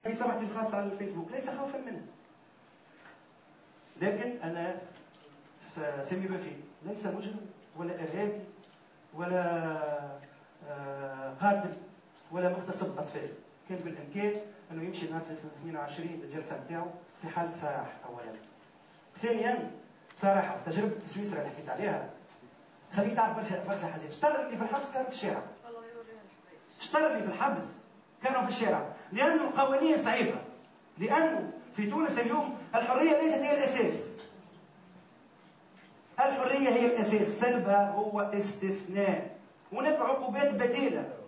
في صفحتي الخاصة على الفيسبوك، ليس خوفا منه، لكن أنا سامي بافي ليس مجرم ولا إرهابي ولا قاتل ولا مغتصب أطفال. كان بالإمكان أنه يمشي نهار 22 الجلسة نتاعو في حالة سراح أولا. ثانيا بصراحة تجربة سويسرا اللي حكيت عليها خليك تعرف برشا برشا حاجات. شطر اللي في الحبس كانوا في الشارع، شطر اللي في الحبس كانوا في الشارع، لأنه القوانين صعيبة، لأنه في تونس اليوم الحرية ليست هي الأساس، الحرية هي الأساس، سلبها هو استثناء. هناك عقوبات بديلة.